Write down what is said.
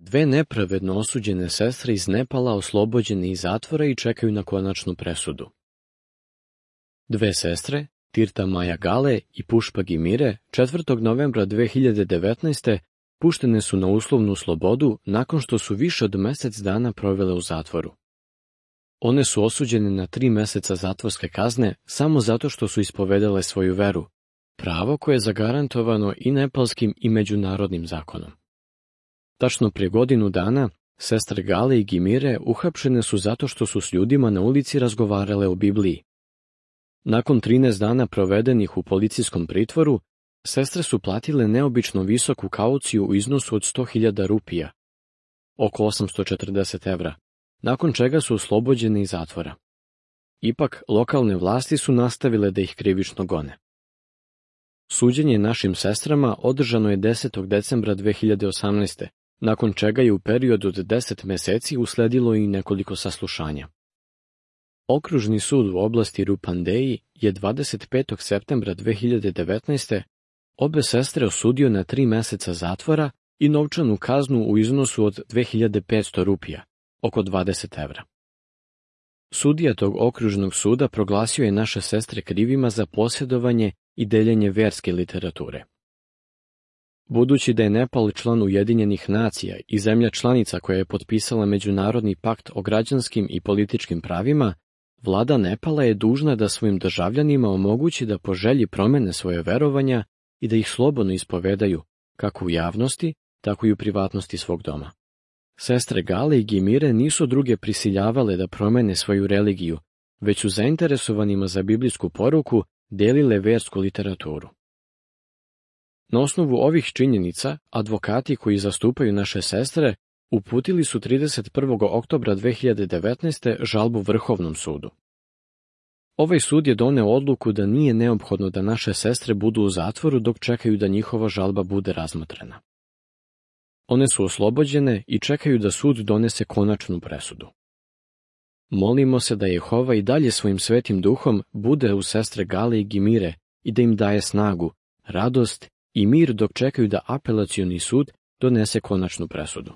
Dve nepravedno osuđene sestre iz Nepala oslobođene iz zatvora i čekaju na konačnu presudu. Dve sestre, Tirta Maja Gale i Pušpa Gimire, 4. novembra 2019. puštene su na uslovnu slobodu nakon što su više od mjesec dana provele u zatvoru. One su osuđene na 3 mjeseca zatvorske kazne samo zato što su ispovedale svoju veru, pravo koje je zagarantovano i nepalskim i međunarodnim zakonom. Tačno prije godinu dana, sestre Gale i Gimire uhapšene su zato što su s ljudima na ulici razgovarale o Bibliji. Nakon 13 dana provedenih u policijskom pritvoru, sestre su platile neobično visoku kauciju u iznosu od 100.000 rupija, oko 840 evra, nakon čega su oslobođene iz zatvora. Ipak, lokalne vlasti su nastavile da ih krivično gone. Suđenje našim sestrama održano je 10. decembra 2018. nakon čega je u periodu od 10 mjeseci usledilo i nekoliko saslušanja. Okružni sud u oblasti Rupandeji je 25. septembra 2019. obe sestre osudio na 3 mjeseca zatvora i novčanu kaznu u iznosu od 2500 rupija, oko 20 evra. Sudija tog okružnog suda proglasio je naše sestre krivima za posjedovanje i deljenje vjerske literature. Budući da je Nepal član Ujedinjenih nacija i zemlja članica koja je potpisala Međunarodni pakt o građanskim i političkim pravima, vlada Nepala je dužna da svojim državljanima omogući da po želji promene svoje verovanja i da ih slobodno ispovedaju, kako u javnosti, tako i u privatnosti svog doma. Sestre Gale i Gimire nisu druge prisiljavale da promene svoju religiju, već su zainteresovanima za biblijsku poruku delile versku literaturu. Na osnovu ovih činjenica, advokati koji zastupaju naše sestre uputili su 31. oktobra 2019. žalbu Vrhovnom sudu. Ovaj sud je doneo odluku da nije neophodno da naše sestre budu u zatvoru dok čekaju da njihova žalba bude razmotrena. One su oslobođene i čekaju da sud donese konačnu presudu. Molimo se da Jehova i dalje svojim svetim duhom bude uz sestre Gale i Gimire i da im daje snagu, radost i mir dok čekaju da apelacioni sud donese konačnu presudu.